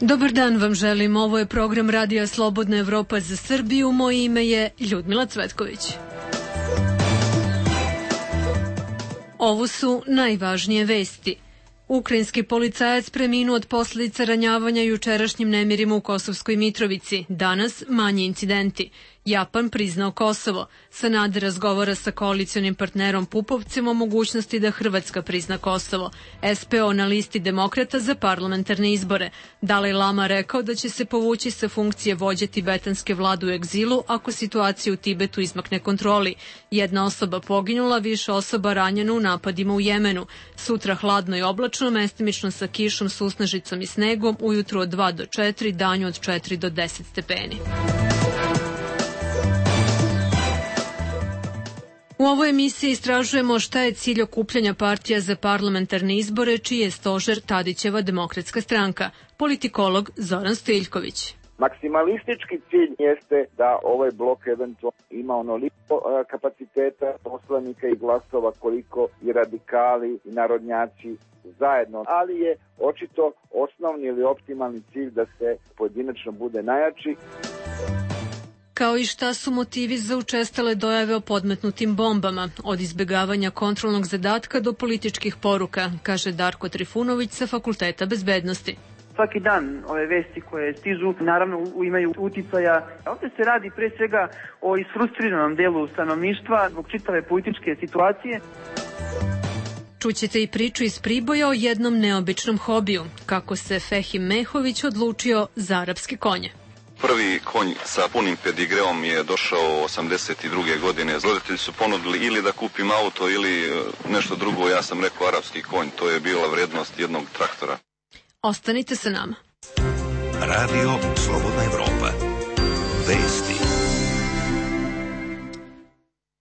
Dobar dan vam želim, ovo je program Radija Slobodna Evropa za Srbiju, moje ime je Ljudmila Cvetković. Ovo su najvažnije vesti. Ukrajinski policajac preminuo od posljedica ranjavanja jučerašnjim nemirima u Kosovskoj Mitrovici. Danas manji incidenti. Japan priznao Kosovo. Sanader razgovara sa koalicionim partnerom Pupovcem o mogućnosti da Hrvatska prizna Kosovo. SPO na listi demokrata za parlamentarne izbore. Dalaj Lama rekao da će se povući sa funkcije vođe tibetanske vlade u egzilu ako situacija u Tibetu izmakne kontroli. Jedna osoba poginula, više osoba ranjeno u napadima u Jemenu. Sutra hladno i oblačno, mestimično sa kišom, susnežicom i snegom, ujutru od 2 do 4, danju od 4 do 10 stepeni. U ovoj emisiji istražujemo šta je cilj okupljanja partija za parlamentarne izbore, čiji je stožer Tadićeva Demokratska stranka. Politikolog Zoran Stojiljković. Maksimalistički cilj jeste da ovaj blok eventualno ima onoliko kapaciteta poslanika i glasova koliko i radikali i narodnjaci zajedno, ali je očito osnovni ili optimalni cilj da se pojedinačno bude najjači. Kao i šta su motivi za učestale dojave o podmetnutim bombama, od izbjegavanja kontrolnog zadatka do političkih poruka, kaže Darko Trifunović sa Fakulteta bezbednosti. Svaki dan ove vesti koje stižu naravno imaju uticaja. Ovdje se radi pre svega o isfrustriranom delu stanovništva zbog čitave političke situacije. Čućete i priču iz Priboja o jednom neobičnom hobiju, kako se Fehim Mehović odlučio za arapske konje. Prvi konj sa punim pedigreom je došao 82. godine. Roditelji su ponudili ili da kupim auto ili nešto drugo. Ja sam rekao arapski konj. To je bila vrednost jednog traktora. Ostanite sa nama. Radio Slobodna Evropa. Vesti.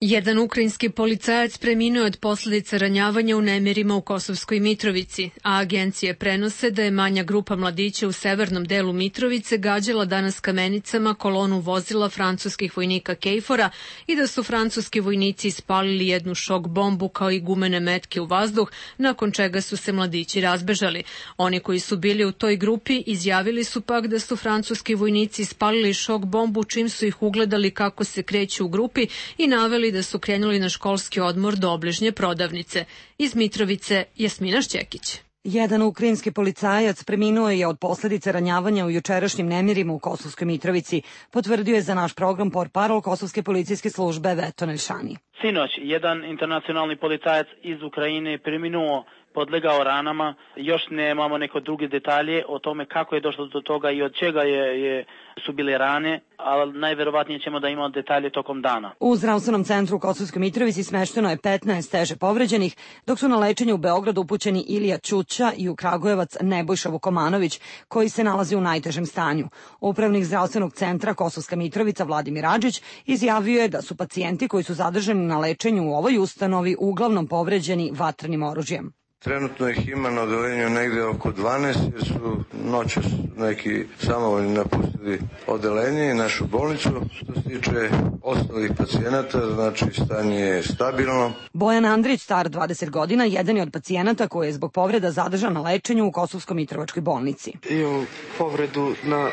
Jedan ukrajinski policajac preminuo od posljedica ranjavanja u nemirima u Kosovskoj Mitrovici, a agencije prenose da je manja grupa mladića u severnom delu Mitrovice gađala danas kamenicama kolonu vozila francuskih vojnika KFOR-a i da su francuski vojnici ispalili jednu šok bombu kao i gumene metke u vazduh, nakon čega su se mladići razbežali. Oni koji su bili u toj grupi izjavili su pak da su francuski vojnici ispalili šok bombu čim su ih ugledali kako se kreću u grupi i naveli da su krenuli na školski odmor do obližnje prodavnice. Iz Mitrovice Jasmina Šćekić. Jedan ukrajinski policajac preminuo je od posljedice ranjavanja u jučerašnjim nemirima u Kosovskoj Mitrovici, potvrdio je za naš program portparol Kosovske policijske službe Veto Nelšani. Sinoć jedan internacionalni policajac iz Ukrajine preminuo, podlegao ranama. Još nemamo neko druge detalje o tome kako je došlo do toga i od čega su bile rane, ali najverovatnije ćemo da imamo detalje tokom dana. U zdravstvenom centru u Kosovskoj Mitrovici smešteno je 15 teže povređenih, dok su na lečenje u Beogradu upućeni Ilija Ćuća i u Kragujevac Nebojša Vukomanović, koji se nalazi u najtežem stanju. Upravnik zdravstvenog centra Kosovska Mitrovica Vladimir Adžić izjavio je da su pacijenti koji su zadržani na lečenju u ovoj ustanovi uglavnom povređeni vatrenim oružjem. Trenutno ih ima na odeljenju negde oko 12 jer su noćas neki samovoljni napustili odeljenje i našu bolnicu. Što se tiče ostalih pacijenata, znači stanje je stabilno. Bojan Andrić, star 20 godina, jedan je od pacijenata koji je zbog povreda zadržan na lečenju u Kosovsko-Mitrovačkoj bolnici. Imam povredu na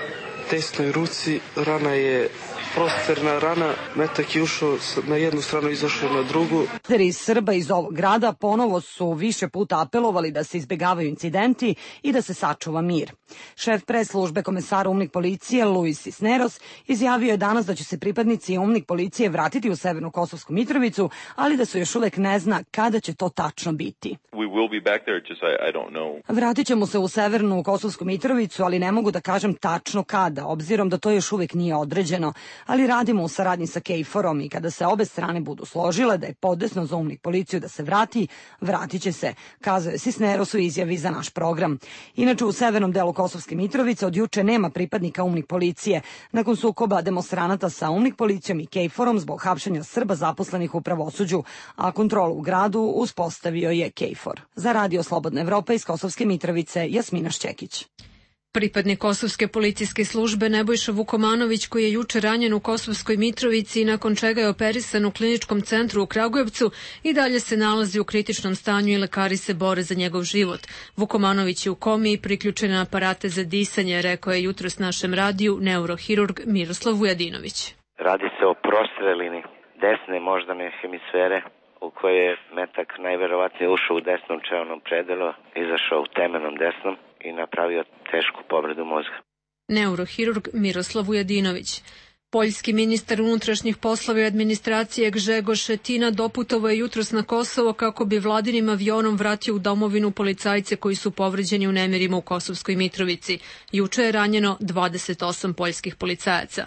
desnoj ruci, rana je prosterna rana, metak je ušao na jednu stranu, izašao na drugu. Iz Srba iz ovog grada ponovo su više puta apelovali da se izbjegavaju incidenti i da se sačuva mir. Šef pres službe komesara UMNIK policije Luis Cisneros izjavio je danas da će se pripadnici UMNIK policije vratiti u Severnu Kosovsku Mitrovicu, ali da se još uvek ne zna kada će to tačno biti. Vratit ćemo se u Severnu Kosovsku Mitrovicu, ali ne mogu da kažem tačno kada, obzirom da to još uvek nije određeno, ali radimo u saradnji sa KFOR-om i kada se obe strane budu složile da je podesno za UMNIK policiju da se vrati, vratit će se, kazao je Cisneros u izjavi za naš program. Inače, u severnom delu Kosovske Mitrovice od juče nema pripadnika UMNIK policije, nakon sukoba demonstranata sa UMNIK policijom i KFOR-om zbog hapšenja Srba zaposlenih u pravosuđu, a kontrolu u gradu uspostavio je KFOR. Za Radio Slobodna Evropa iz Kosovske Mitrovice, Jasmina Šćekić. Pripadnik kosovske policijske službe Nebojša Vukomanović, koji je juče ranjen u Kosovskoj Mitrovici i nakon čega je operisan u kliničkom centru u Kragujevcu, i dalje se nalazi u kritičnom stanju i lekari se bore za njegov život. Vukomanović je u komi i priključen na aparate za disanje, rekao je jutros našem radiju neurohirurg Miroslav Vujadinović. Radi se o prostrelini desne moždane hemisfere, u kojoj je metak najverovatnije ušao u desnom čelnom predelu, izašao u temenom desnom i napravio tešku povredu mozga. Neurohirurg Miroslav Vujadinović. Poljski ministar unutrašnjih poslova i administracije Grzegorz Schetina doputovao je jutros na Kosovo kako bi vladinim avionom vratio u domovinu policajce koji su povređeni u nemirima u Kosovskoj Mitrovici. Juče je ranjeno 28 poljskih policajaca.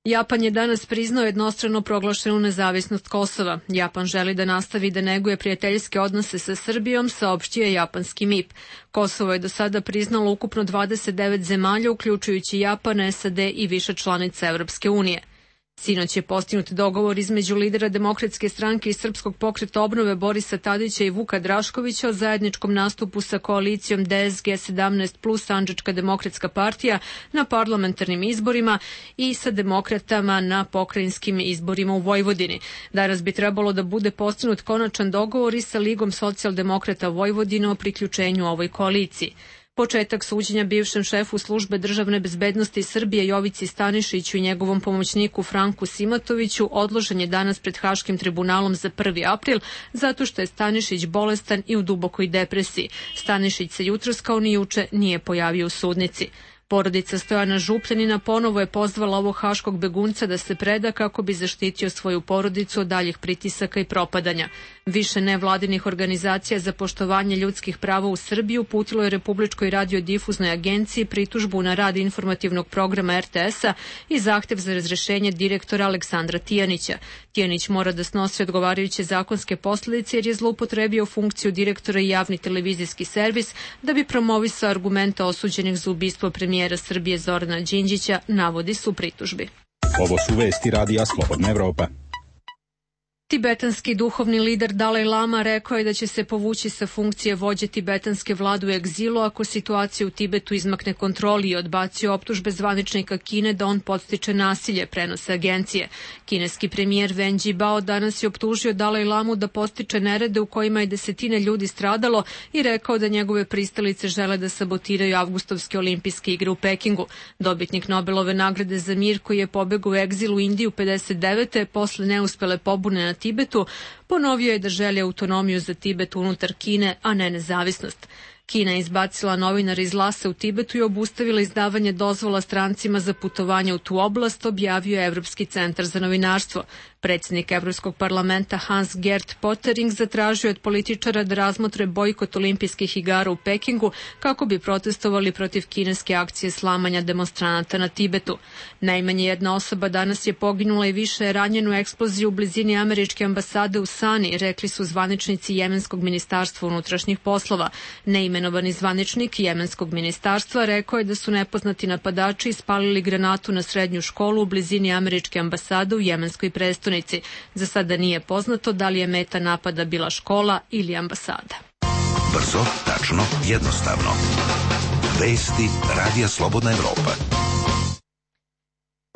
Japan je danas priznao jednostrano proglašenu nezavisnost Kosova. Japan želi da nastavi da neguje prijateljske odnose sa Srbijom, saopštio je japanski MIP. Kosovo je do sada priznalo ukupno 29 zemalja, uključujući Japan, SAD i više članica Evropske unije. Sinoć je postignut dogovor između lidera Demokratske stranke i Srpskog pokreta obnove Borisa Tadića i Vuka Draškovića o zajedničkom nastupu sa koalicijom DSG 17 plus Sandžačka demokratska partija na parlamentarnim izborima i sa demokratama na pokrajinskim izborima u Vojvodini. Danas bi trebalo da bude postignut konačan dogovor i sa Ligom socijaldemokrata Vojvodine o priključenju ovoj koaliciji. Početak suđenja bivšem šefu službe državne bezbednosti Srbije Jovici Stanišiću i njegovom pomoćniku Franku Simatoviću odložen je danas pred Haškim tribunalom za 1. april zato što je Stanišić bolestan i u dubokoj depresiji. Stanišić se jutros kao ni juče nije pojavio u sudnici. Porodica Stojana Župljanina ponovo je pozvala ovog haškog begunca da se preda kako bi zaštitio svoju porodicu od daljih pritisaka i propadanja. Više nevladinih organizacija za poštovanje ljudskih prava u Srbiji uputilo je Republičkoj radiodifuznoj agenciji pritužbu na rad informativnog programa RTS-a i zahtev za razrešenje direktora Aleksandra Tijanića. Tijanić mora da snosi odgovarajuće zakonske posljedice jer je zloupotrebio funkciju direktora i javni televizijski servis da bi promovisao argumente osuđenih za ubistvo premijera Srbije Zorana Đinđića, navodi su pritužbi. Ovo su vesti Radija Slobodna Evropa. Tibetanski duhovni lider Dalaj Lama rekao je da će se povući sa funkcije vođe tibetanske vlade u egzilu ako situacija u Tibetu izmakne kontroli i odbacio optužbe zvaničnika Kine da on podstiče nasilje, prenose agencije. Kineski premijer Wen Jiabao danas je optužio Dalaj Lamu da podstiče nerede u kojima je desetine ljudi stradalo i rekao da njegove pristalice žele da sabotiraju avgustovske olimpijske igre u Pekingu. Dobitnik Nobelove nagrade za mir koji je pobegao u egzil u Indiju 59. posle neuspele pobune na Tibetu, ponovio je da želi autonomiju za Tibet unutar Kine, a ne nezavisnost. Kina je izbacila novinare iz Lhase u Tibetu i obustavila izdavanje dozvola strancima za putovanje u tu oblast, objavio je Evropski centar za novinarstvo. Predsjednik Evropskog parlamenta Hans-Gert Pöttering zatražio od političara da razmotre bojkot olimpijskih igara u Pekingu kako bi protestovali protiv kineske akcije slamanja demonstranata na Tibetu. Najmanje jedna osoba danas je poginula i više je ranjena u eksploziji u blizini američke ambasade u Sani, rekli su zvaničnici Jemenskog ministarstva unutrašnjih poslova. Neimenovani zvaničnik Jemenskog ministarstva rekao je da su nepoznati napadači ispalili granatu na srednju školu u blizini američke ambasade u jemenskoj prestonici. Za sada nije poznato da li je meta napada bila škola ili ambasada. Brzo, tačno, jednostavno. Vesti Radija Slobodna Evropa.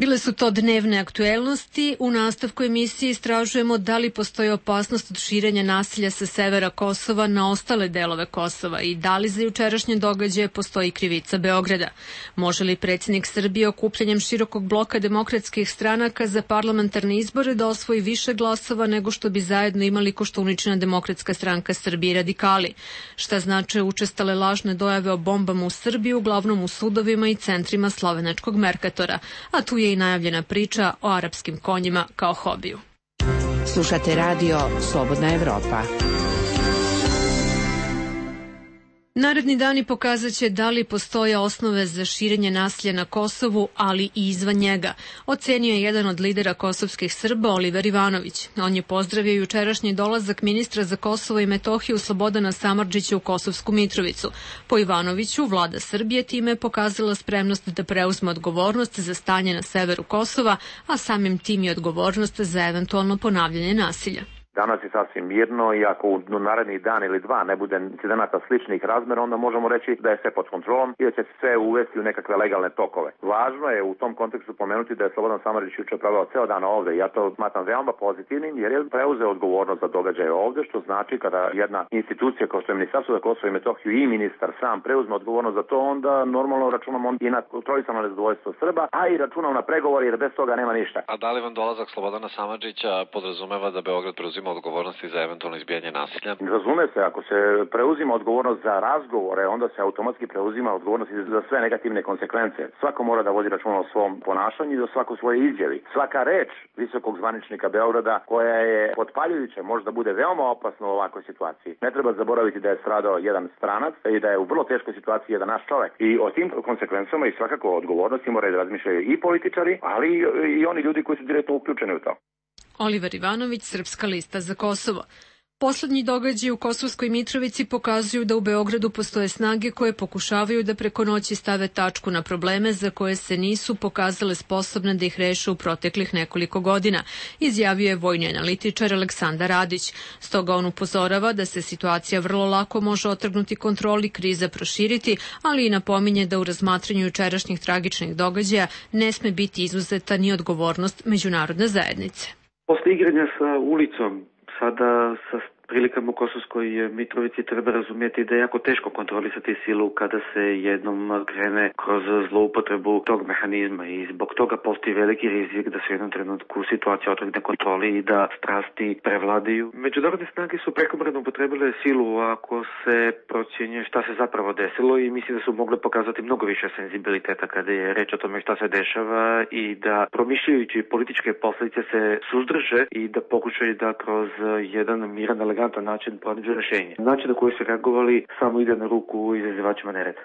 Bile su to dnevne aktuelnosti. U nastavku emisije istražujemo da li postoji opasnost od širenja nasilja sa severa Kosova na ostale delove Kosova i da li za jučerašnje događaje postoji krivica Beograda. Može li predsjednik Srbije okupljanjem širokog bloka demokratskih stranaka za parlamentarne izbore da osvoji više glasova nego što bi zajedno imali Koštuničina demokratska stranka Srbije i radikali? Šta znače učestale lažne dojave o bombama u Srbiji, uglavnom u sudovima i centrima slovenačkog Merkatora? A tu je i najavljena priča o arapskim konjima kao hobiju. Slušate radio Slobodna Evropa. Naredni dani pokazat će da li postoje osnove za širenje nasilja na Kosovu, ali i izvan njega, ocenio je jedan od lidera kosovskih Srba, Oliver Ivanović. On je pozdravio jučerašnji dolazak ministra za Kosovo i Metohiju Slobodana Samardžića u Kosovsku Mitrovicu. Po Ivanoviću, vlada Srbije time je pokazala spremnost da preuzme odgovornost za stanje na severu Kosova, a samim tim i odgovornost za eventualno ponavljanje nasilja. Danas je sasvim mirno i ako u narednih dan ili dva ne bude incidenata sličnih razmera, onda možemo reći da je sve pod kontrolom i da će se sve uvesti u nekakve legalne tokove. Važno je u tom kontekstu pomenuti da je Slobodan Samardžić juče proveo ceo dan ovde i ja to smatram veoma pozitivnim jer je preuzeo odgovornost za događaje ovde, što znači kada jedna institucija kao što je Ministarstvo za Kosovo i Metohiju i ministar sam preuzme odgovornost za to, onda normalno računamo i na kontrolisano nezadovoljstvo Srba, a i računamo na pregovor jer bez toga nema ništa. A da li vam dolazak Slobodana Samardžića podrazumeva da Beograd preuzima odgovornosti za eventualno izbijanje nasilja? Razume se, ako se preuzima odgovornost za razgovore, onda se automatski preuzima odgovornost za sve negativne konsekvence. Svako mora da vodi računa o svom ponašanju i o svakoj svojoj izjavi. Svaka reč visokog zvaničnika Beograda koja je potpaljujuća može da bude veoma opasna u ovakvoj situaciji. Ne treba zaboraviti da je stradao jedan stranac i da je u vrlo teškoj situaciji jedan naš čovek. I o tim konsekvencama i svakako odgovornosti moraju da razmišljaju i političari, ali i oni ljudi koji su direktno uključeni u to. Oliver Ivanović, Srpska lista za Kosovo. Poslednji događaji u Kosovskoj Mitrovici pokazuju da u Beogradu postoje snage koje pokušavaju da preko noći stave tačku na probleme za koje se nisu pokazale sposobne da ih reše u proteklih nekoliko godina, izjavio je vojni analitičar Aleksandar Radić. Stoga on upozorava da se situacija vrlo lako može otrgnuti kontroli, kriza proširiti, ali i napominje da u razmatranju jučerašnjih tragičnih događaja ne sme biti izuzeta ni odgovornost međunarodne zajednice. Posle igranja sa ulicom, sada sa prilikama u Kosovskoj Mitrovici treba razumjeti da je jako teško kontrolisati silu kada se jednom krene kroz zloupotrebu tog mehanizma i zbog toga postoji veliki rizik da se u jednom trenutku situacija otrgne kontroli i da strasti prevladaju. Međunarodne snage su prekomerno upotrebile silu ako se procjenjuje šta se zapravo desilo i mislim da su mogle pokazati mnogo više senzibiliteta kada je reč o tome šta se dešava i da promišljajući političke posljedice se suzdrže i da pokušaju da kroz jedan miran, elegantan način pronađu rešenje. Način na koji su reagovali samo ide na ruku izazivačima nereda.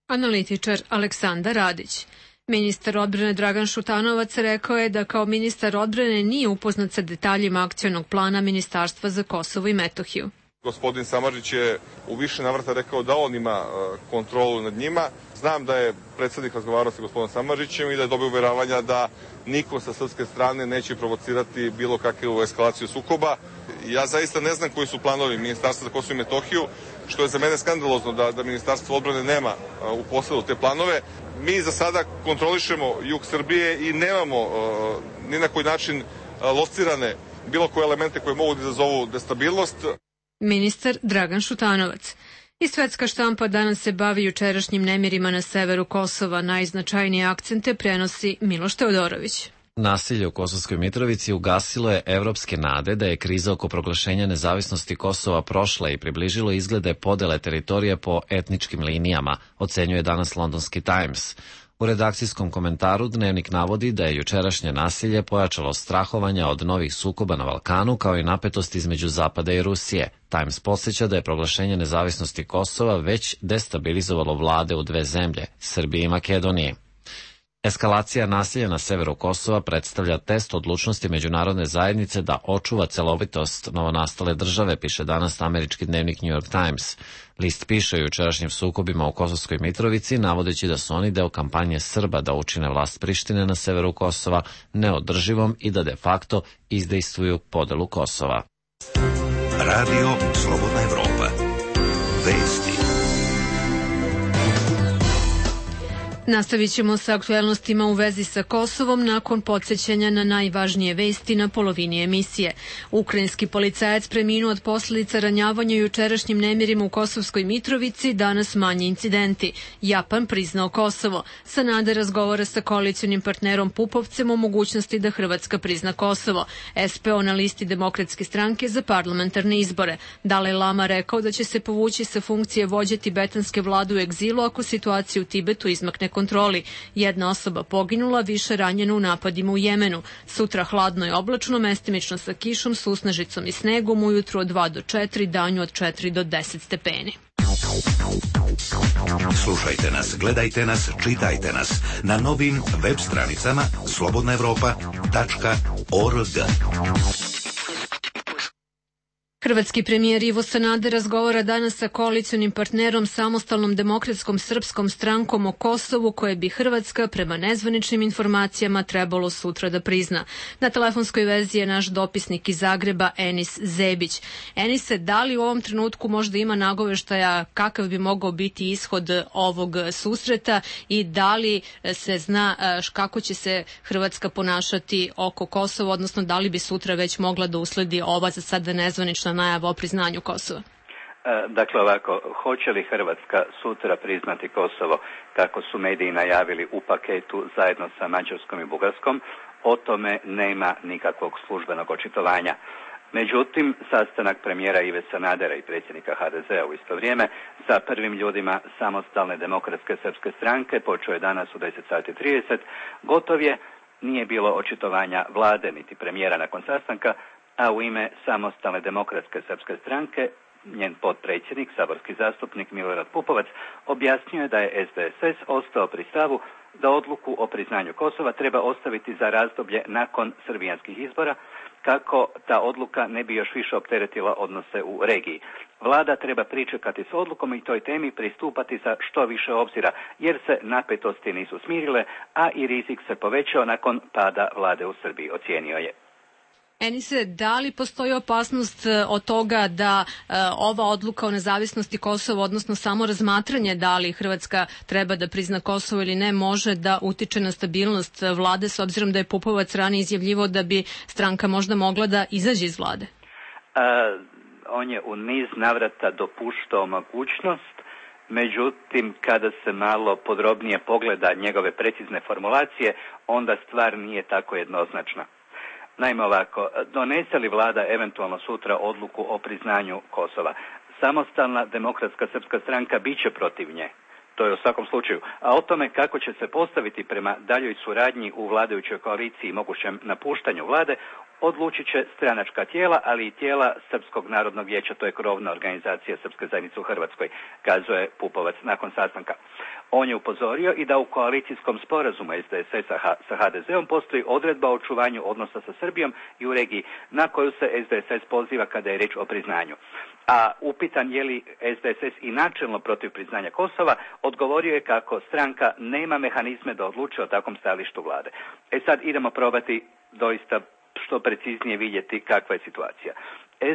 Analitičar Aleksandar Radić. Ministar odbrane Dragan Šutanovac rekao je da kao ministar odbrane nije upoznat sa detaljima akcionog plana Ministarstva za Kosovo i Metohiju. Gospodin Samardžić je u više navrata rekao da on ima kontrolu nad njima. Znam da je predsjednik razgovarao sa gospodinom Samardžićem i da je dobio uveravanja da niko sa srpske strane neće provocirati bilo kakvu eskalaciju sukoba. Ja zaista ne znam koji su planovi Ministarstva za Kosovo i Metohiju, što je za mene skandalozno da Ministarstvo odbrane nema u posledu te planove. Mi za sada kontrolišemo jug Srbije i nemamo ni na koji način locirane bilo koje elemente koje mogu da izazovu destabilnost. Ministar Dragan Šutanovac. I svetska štampa danas se bavi jučerašnjim nemirima na severu Kosova. Najznačajnije akcente prenosi Miloš Teodorović. Nasilje u Kosovskoj Mitrovici ugasilo je evropske nade da je kriza oko proglašenja nezavisnosti Kosova prošla i približilo izglede podele teritorije po etničkim linijama, ocenjuje danas londonski Times. U redakcijskom komentaru Dnevnik navodi da je jučerašnje nasilje pojačalo strahovanja od novih sukoba na Balkanu kao i napetost između Zapada i Rusije. Times podsjeća da je proglašenje nezavisnosti Kosova već destabilizovalo vlade u dve zemlje, Srbije i Makedonije. Eskalacija nasilja na severu Kosova predstavlja test odlučnosti međunarodne zajednice da očuva celovitost novonastale države, piše danas američki dnevnik New York Times. List piše o jučerašnjim sukobima u Kosovskoj Mitrovici, navodeći da su oni deo kampanje Srba da učine vlast Prištine na severu Kosova neodrživom i da de facto izdejstvuju podelu Kosova. Radio Slobodna Evropa. Vesti. Nastavit ćemo sa aktuelnostima u vezi sa Kosovom nakon podsjećanja na najvažnije vesti na polovini emisije. Ukrajinski policajac preminuo od posljedica ranjavanja jučerašnjim nemirima u Kosovskoj Mitrovici, danas manji incidenti. Japan priznao Kosovo. Sanader razgovara sa koalicionim partnerom Pupovcem o mogućnosti da Hrvatska prizna Kosovo. SPO na listi Demokratske stranke za parlamentarne izbore. Dalaj Lama rekao da će se povući sa funkcije vođe tibetanske vlade u egzilu ako situacija u Tibetu izmakne kontroli. Jedna osoba poginula, više ranjena u napadima u Jemenu. Sutra hladno i oblačno, mestimično sa kišom, susnežicom i snegom, ujutru od 2 do 4, danju od 4 do 10 stepeni. Slušajte nas, gledajte nas, čitajte nas na novim web stranicama slobodnaevropa.org. Hrvatski premijer Ivo Sanader razgovara danas sa koalicionim partnerom Samostalnom demokratskom srpskom strankom o Kosovu, koje bi Hrvatska, prema nezvaničnim informacijama, trebalo sutra da prizna. Na telefonskoj vezi je naš dopisnik iz Zagreba, Enis Zebić. Enise, da li u ovom trenutku možda ima nagoveštaja kakav bi mogao biti ishod ovog susreta i da li se zna kako će se Hrvatska ponašati oko Kosova, odnosno da li bi sutra već mogla da usledi ova za sada nezvanična najava o priznanju Kosova? Dakle ovako, hoće li Hrvatska sutra priznati Kosovo kako su mediji najavili u paketu zajedno sa Mađarskom i Bugarskom, o tome nema nikakvog službenog očitovanja. Međutim, sastanak premijera Ive Sanadera i predsjednika HDZ-a u isto vrijeme sa prvim ljudima Samostalne demokratske srpske stranke počeo je danas u 10:30. Gotov je, nije bilo očitovanja vlade niti premijera nakon sastanka, a u ime Samostalne demokratske srpske stranke njen potpredsjednik, saborski zastupnik Milorad Pupovac, objasnio je da je SDSS ostao pri stavu da odluku o priznanju Kosova treba ostaviti za razdoblje nakon srbijanskih izbora, kako ta odluka ne bi još više opteretila odnose u regiji. Vlada treba pričekati s odlukom i toj temi pristupati sa što više obzira, jer se napetosti nisu smirile, a i rizik se povećao nakon pada vlade u Srbiji, ocijenio je. Enise, da li postoji opasnost od toga da ova odluka o nezavisnosti Kosova, odnosno samo razmatranje da li Hrvatska treba da prizna Kosovo ili ne, može da utiče na stabilnost vlade, s obzirom da je Pupovac ranije izjavljivao da bi stranka možda mogla da izađe iz vlade? On je u niz navrata dopuštao mogućnost, međutim kada se malo podrobnije pogleda njegove precizne formulacije, onda stvar nije tako jednoznačna. Naime ovako, donese li vlada eventualno sutra odluku o priznanju Kosova, Samostalna demokratska srpska stranka bit će protiv nje. To je u svakom slučaju. A o tome kako će se postaviti prema daljoj suradnji u vladajućoj koaliciji i mogućem napuštanju vlade, odlučit će stranačka tijela, ali i tijela Srpskog narodnog vijeća, to je krovna organizacija Srpske zajednice u Hrvatskoj, kazuje Pupovac nakon sastanka. On je upozorio i da u koalicijskom sporazumu SDSS-a sa HDZ-om postoji odredba o očuvanju odnosa sa Srbijom i u regiji, na koju se SDSS poziva kada je riječ o priznanju. A upitan je li SDSS i načelno protiv priznanja Kosova, odgovorio je kako stranka nema mehanizme da odluče o takvom stajalištu vlade. Sad idemo probati doista što preciznije vidjeti kakva je situacija.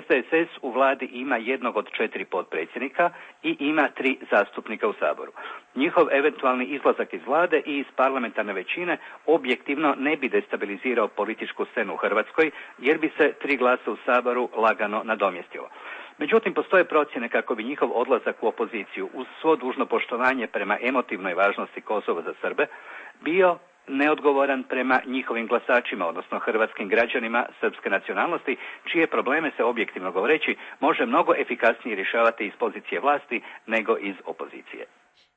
SDSS u vladi ima jednog od 4 potpredsjednika i ima 3 zastupnika u Saboru. Njihov eventualni izlazak iz vlade i iz parlamentarne većine objektivno ne bi destabilizirao političku scenu u Hrvatskoj, jer bi se 3 glasa u Saboru lagano nadomjestilo. Međutim, postoje procjene kako bi njihov odlazak u opoziciju, uz svo dužno poštovanje prema emotivnoj važnosti Kosova za Srbe, bio neodgovoran prema njihovim glasačima, odnosno hrvatskim građanima srpske nacionalnosti, čije probleme se objektivno govoreći može mnogo efikasnije rješavati iz pozicije vlasti nego iz opozicije.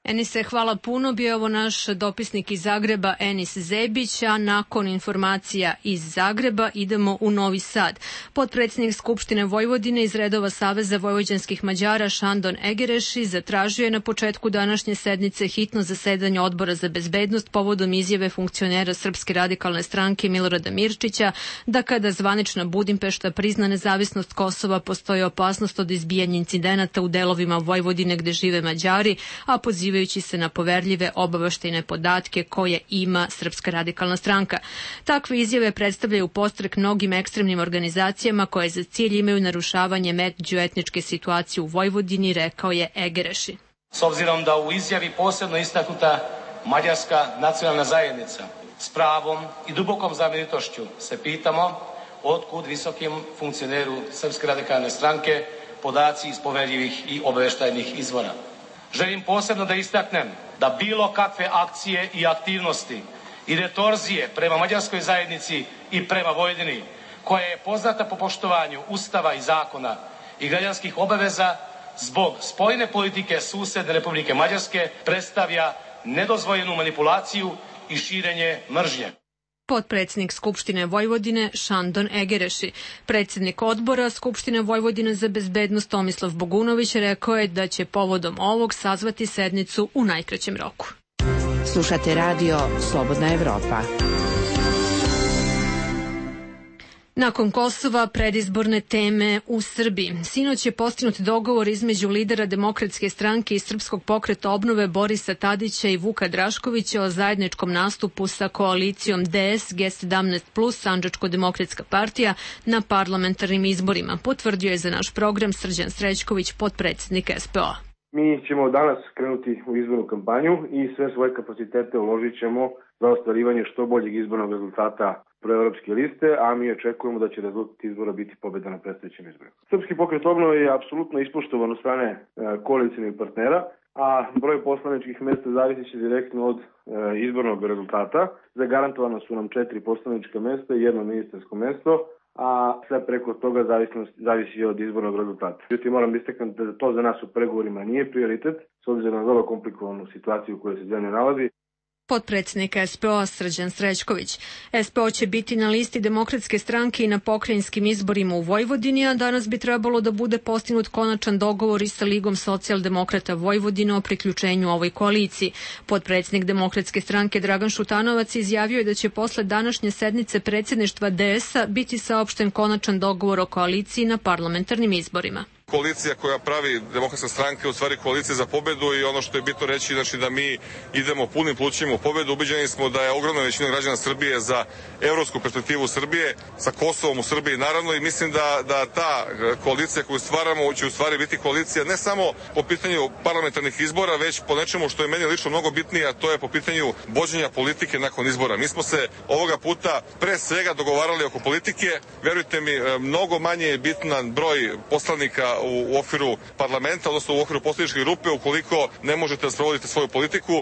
Enise, hvala puno. Bio ovo naš dopisnik iz Zagreba, Enis Zebić, a nakon informacija iz Zagreba idemo u Novi Sad. Potpredsjednik Skupštine Vojvodine iz redova Saveza vojvođanskih Mađara Šandon Egereši zatražio je na početku današnje sednice hitno zasedanje Odbora za bezbednost povodom izjave funkcionera Srpske radikalne stranke Milorada Mirčića da kada zvanična Budimpešta prizna nezavisnost Kosova postoji opasnost od izbijanja incidenata u delovima Vojvodine gde žive Mađari, a pozivajući se na poverljive obaveštajne podatke koje ima Srpska radikalna stranka. Takve izjave predstavljaju podstrek mnogim ekstremnim organizacijama koje za cilj imaju narušavanje međuetničke situacije u Vojvodini, rekao je Egereši. S obzirom da u izjavi posebno istaknuta mađarska nacionalna zajednica, s pravom i dubokom zabrinutošću se pitamo otkud visokim funkcioneru Srpske radikalne stranke podaci iz poverljivih i obaveštajnih izvora. Želim posebno da istaknem da bilo kakve akcije i aktivnosti i retorzije prema mađarskoj zajednici i prema Vojvodini, koja je poznata po poštovanju Ustava i zakona i građanskih obaveza, zbog spoljne politike susedne Republike Mađarske predstavlja nedozvoljenu manipulaciju i širenje mržnje. Potpredsjednik Skupštine Vojvodine Šandon Egereši. Predsjednik odbora Skupštine Vojvodine za bezbednost Tomislav Bogunović rekao je da će povodom ovog sazvati sednicu u najkraćem roku. Slušate radio Slobodna Evropa. Nakon Kosova, predizborne teme u Srbiji. Sinoć je postignut dogovor između lidera Demokratske stranke i Srpskog pokreta obnove Borisa Tadića i Vuka Draškovića o zajedničkom nastupu sa koalicijom DS, G17+, Sandžačko-demokratska partija na parlamentarnim izborima, potvrdio je za naš program Srđan Srećković, potpredsjednik SPO-a. Mi ćemo danas krenuti u izbornu kampanju i sve svoje kapacitete uložit ćemo za ostvarivanje što boljeg izbornog rezultata proevropske liste, a mi očekujemo da će rezultat izbora biti pobjeda na predstojećim izborima. Srpski pokret obnove je apsolutno ispoštovan od strane koalicijnih partnera, a broj poslaničkih mesta zavisi će direktno od izbornog rezultata. Zagarantovano su nam 4 poslanička mesta i 1 ministarsko mesto, a sve preko toga zavisi od izbornog rezultata. Međutim, moram istaknuti da to za nas u pregovorima nije prioritet, s obzirom na vrlo komplikovanu situaciju u kojoj se zemlja nalazi. Potpredsjednik SPO Srđan Srećković. SPO će biti na listi Demokratske stranke i na pokrajinskim izborima u Vojvodini, a danas bi trebalo da bude postignut konačan dogovor i sa Ligom socijaldemokrata Vojvodine o priključenju ovoj koaliciji. Potpredsjednik Demokratske stranke Dragan Šutanovac izjavio je da će posle današnje sednice predsjedništva DS-a biti saopšten konačan dogovor o koaliciji na parlamentarnim izborima. Koalicija koja pravi Demokratska stranka je u stvari koalicija za pobedu i ono što je bitno reći, znači da mi idemo punim plućima u pobedu. Ubeđeni smo da je ogromna većina građana Srbije za evropsku perspektivu Srbije, sa Kosovom u Srbiji naravno, i mislim da ta koalicija koju stvaramo će u stvari biti koalicija ne samo po pitanju parlamentarnih izbora, već po nečemu što je meni lično mnogo bitnije, a to je po pitanju vođenja politike nakon izbora. Mi smo se ovoga puta pre svega dogovarali oko politike. Verujte mi, mnogo manje je bitan broj poslanika u okviru parlamenta, odnosno u okviru poslaničke grupe, ukoliko ne možete da sprovodite svoju politiku.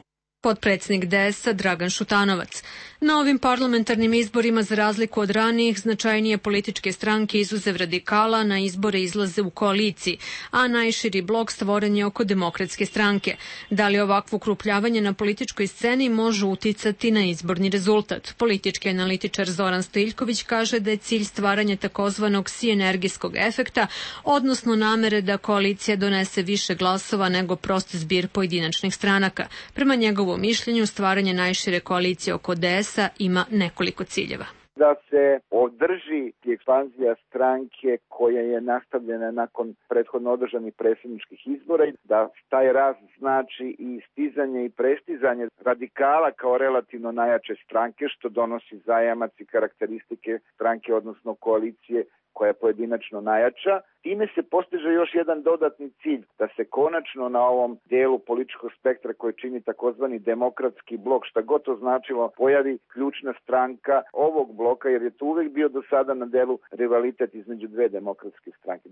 Potpredsjednik DS-a Dragan Šutanovac. Na ovim parlamentarnim izborima, za razliku od ranijih, značajnije političke stranke izuzev radikala na izbore izlaze u koaliciji, a najširi blok stvoren je oko Demokratske stranke. Da li ovakvo ukrupljavanje na političkoj sceni može uticati na izborni rezultat? Politički analitičar Zoran Stojiljković kaže da je cilj stvaranje takozvanog sinergijskog efekta, odnosno namere da koalicija donese više glasova nego prost zbir pojedinačnih stranaka. Prema njegovom mišljenju, stvaranje najšire koalicije oko DS ima nekoliko ciljeva. Da se održi ekspanzija stranke koja je nastavljena nakon prethodno održanih predsjedničkih izbora i da taj rast znači i stizanje i prestizanje radikala kao relativno najjače stranke, što donosi zajamac i karakteristike stranke, odnosno koalicije koja je pojedinačno najjača. Time se postiže još jedan dodatni cilj, da se konačno na ovom delu političkog spektra koji čini takozvani demokratski blok, šta god to značilo, pojavi ključna stranka ovog bloka, jer je to uvek bio do sada na delu rivalitet između dve demokratske stranke,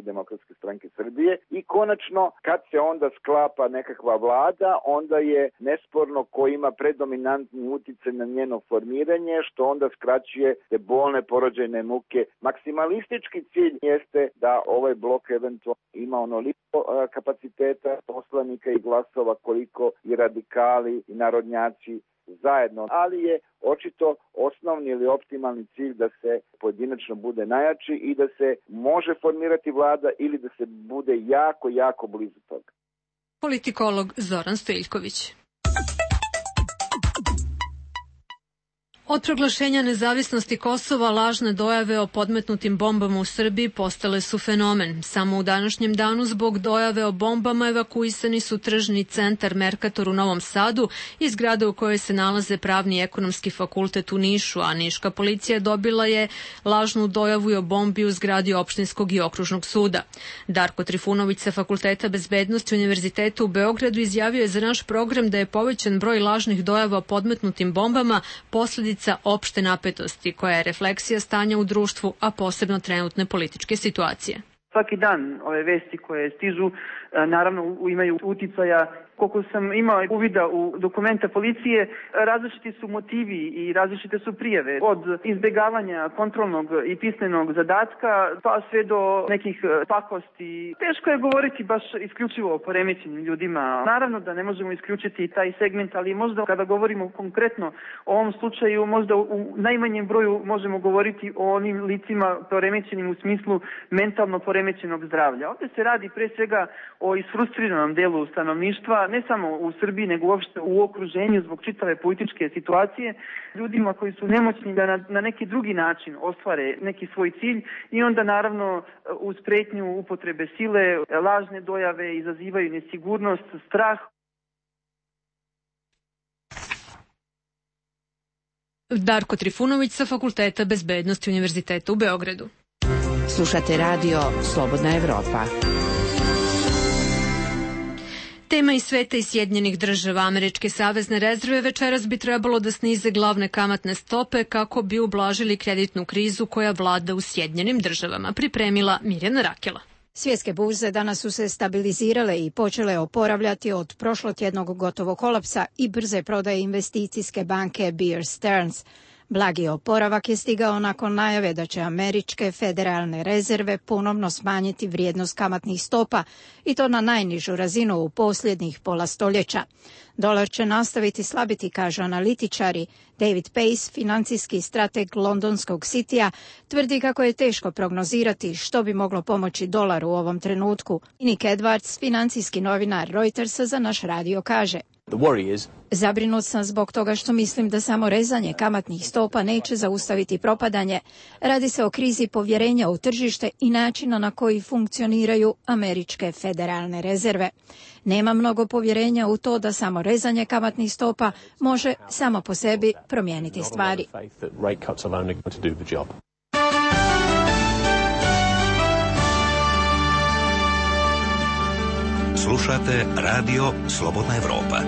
Demokratske stranke Srbije, i konačno kad se onda sklapa nekakva vlada, onda je nesporno ko ima predominantni uticaj na njeno formiranje, što onda skraćuje te bolne porođajne muke. Maksimalistički cilj jeste da ovaj blok eventualno ima onoliko kapaciteta poslanika i glasova koliko i radikali i narodnjaci zajedno, ali je očito osnovni ili optimalni cilj da se pojedinačno bude najjači i da se može formirati vlada ili da se bude jako blizu toga. Politikolog Zoran Stojiljković. Od proglašenja nezavisnosti Kosova lažne dojave o podmetnutim bombama u Srbiji postale su fenomen. Samo u današnjem danu zbog dojave o bombama evakuisani su tržni centar Merkator u Novom Sadu i zgrada u kojoj se nalaze Pravni i ekonomski fakultet u Nišu, a niška policija dobila je lažnu dojavu i o bombi u zgradi opštinskog i okružnog suda. Darko Trifunović sa Fakulteta bezbednosti Univerziteta u Beogradu izjavio je za naš program da je povećan broj lažnih dojava o podmetnutim bombama posledica opšte napetosti, koja je refleksija stanja u društvu, a posebno trenutne političke situacije. Svaki dan ove vesti koje stižu naravno imaju uticaja. Koliko sam imao uvida u dokumenta policije, različiti su motivi i različite su prijave. Od izbjegavanja kontrolnog i pismenog zadatka pa sve do nekih pakosti. Teško je govoriti baš isključivo o poremećenim ljudima. Naravno da ne možemo isključiti taj segment, ali možda kada govorimo konkretno o ovom slučaju, možda u najmanjem broju možemo govoriti o onim licima poremećenim u smislu mentalno poremećenog zdravlja. Ovdje se radi pre svega o isfrustriranom delu stanovništva da ne samo u Srbiji, nego uopšte u okruženju zbog čitave političke situacije, ljudima koji su nemoćni da na neki drugi način ostvare neki svoj cilj i onda naravno uz pretnju upotrebe sile, lažne dojave izazivaju nesigurnost, strah. Darko Trifunović sa Fakulteta bezbednosti Univerziteta u Beogradu. Slušate radio Slobodna Evropa. Tema iz sveta i Sjedinjenih država. Američke savezne rezerve večeras bi trebalo da snize glavne kamatne stope kako bi ublažili kreditnu krizu koja vlada u Sjedinjenim državama, pripremila Mirjana Rakela. Svjetske burze danas su se stabilizirale i počele oporavljati od prošlotjednog gotovog kolapsa i brze prodaje investicijske banke Bear Stearns. Blagi oporavak je stigao nakon najave da će američke federalne rezerve ponovno smanjiti vrijednost kamatnih stopa i to na najnižu razinu u posljednjih pola stoljeća. Dolar će nastaviti slabiti, kažu analitičari. David Pace, financijski strateg londonskog Citya, tvrdi kako je teško prognozirati što bi moglo pomoći dolaru u ovom trenutku. Nick Edwards, financijski novinar Reutersa, za naš radio kaže: Zabrinut sam zbog toga što mislim da samo rezanje kamatnih stopa neće zaustaviti propadanje. Radi se o krizi povjerenja u tržište i načina na koji funkcioniraju američke federalne rezerve. Nema mnogo povjerenja u to da samo rezanje kamatnih stopa može samo po sebi promijeniti stvari. Slušate radio Slobodna Evropa.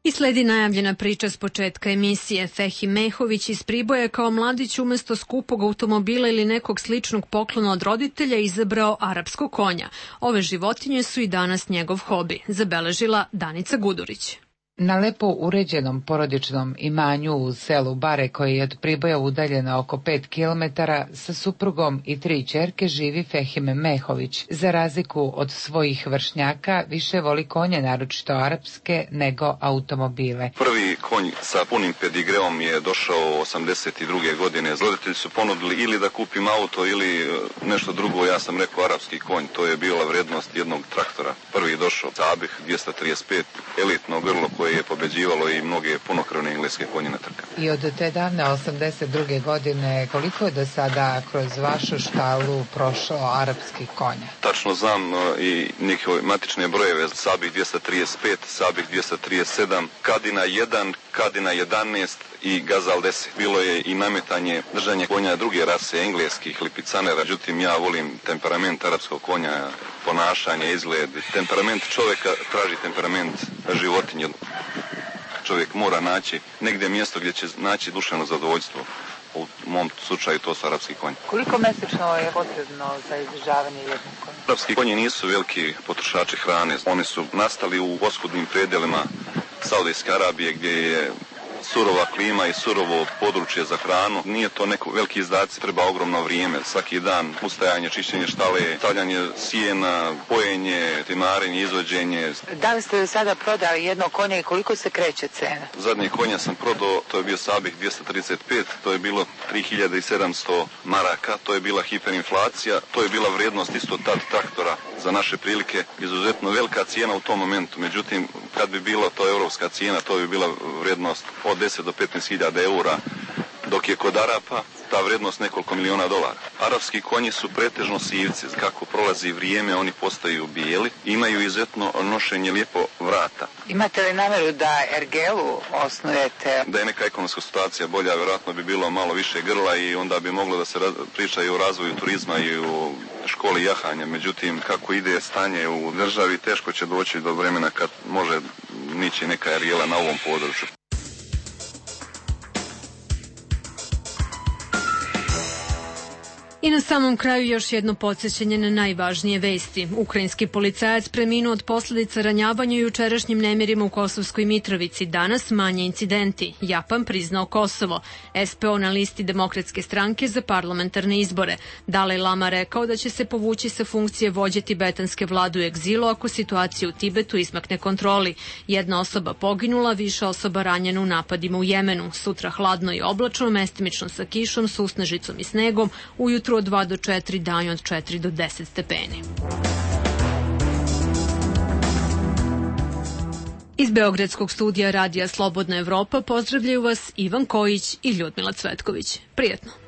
I sledi najavljena priča s početka emisije. Fehim Mehović iz Priboja je kao mladić umjesto skupog automobila ili nekog sličnog poklona od roditelja izabrao arapskog konja. Ove životinje su i danas njegov hobi, zabeležila Danica Gudurić. Na lepo uređenom porodičnom imanju u selu Bare, koje je od Priboja udaljeno oko 5 kilometara, sa suprugom i 3 ćerke živi Fehim Mehović. Za razliku od svojih vršnjaka, više voli konje, naročito arapske, nego automobile. Prvi konj sa punim pedigreom je došao 82. godine. Roditelji su ponudili ili da kupim auto ili nešto drugo. Ja sam rekao arapski konj. To je bila vrednost jednog traktora. Prvi je došao Sabih 235, elitno grlo koje je pobeđivalo i mnoge punokrvne engleske konje na trkama. I od te davne 82. godine koliko je do sada kroz vašu štalu prošlo arapskih konja? Tačno znam i neke matične brojeve. Sabih 235, Sabih 237, Kadina 1, Kadina 11 i Gazal 10. Bilo je i nametanje držanja konja druge rase, engleskih lipicanera. Međutim, ja volim temperament arapskog konja, ponašanje, izgled. Temperament čovjeka traži temperament životinje. Čovjek mora naći negdje mjesto gdje će naći duševno zadovoljstvo. U mom slučaju to su arapski konji. Koliko mjesečno je potrebno za izdržavanje jednog konja? Arapski konji nisu veliki potrošači hrane. Oni su nastali u oskudnim predelima Saudijske Arabije gdje je surova klima i surovo područje za hranu. Nije to neko veliki izdaci, treba ogromno vrijeme. Svaki dan ustajanje, čišćenje štale, stavljanje sijena, pojenje, timarenje, izvođenje. Da li ste sada prodali jedno konje i koliko se kreće cena? Zadnje konja sam prodao, to je bio Sabih 235, to je bilo 3700 maraka, to je bila hiperinflacija, to je bila vrijednost isto tad traktora za naše prilike, izuzetno velika cijena u tom momentu. Međutim, kad bi bila to europska cijena, to bi bila vrijednost od 10 do 15.000 eura, dok je kod Arapa ta vrijednost nekoliko miliona dolara. Arapski konji su pretežno sivci. Kako prolazi vrijeme, oni postaju bijeli. Imaju izuzetno nošenje lijepo vrata. Imate li namjeru da ergelu osnujete? Da je neka ekonomska situacija bolja, vjerojatno bi bilo malo više grla i onda bi moglo da se priča i o razvoju turizma i o školi jahanja. Međutim, kako ide stanje u državi, teško će doći do vremena kad može nići neka ergela na ovom području. I na samom kraju još jedno podsjećanje na najvažnije vesti. Ukrajinski policajac preminuo od posljedica ranjavanja jučerašnjim nemirima u Kosovskoj Mitrovici. Danas manje incidenti. Japan priznao Kosovo. SPO na listi Demokratske stranke za parlamentarne izbore. Dalaj Lama rekao da će se povući sa funkcije vođe tibetanske vlade u egzilu ako situacija u Tibetu izmakne kontroli. Jedna osoba poginula, više osoba ranjena u napadima u Jemenu. Sutra hladno i oblačno, mestimično sa kišom, susnežicom i snegom. Ujutru Jutro od 2 do 4, dan od 4 do 10 stepeni. Iz Beogradskog studija Radija Slobodna Evropa pozdravljaju vas Ivan Kojić i Ljudmila Cvetković. Prijetno!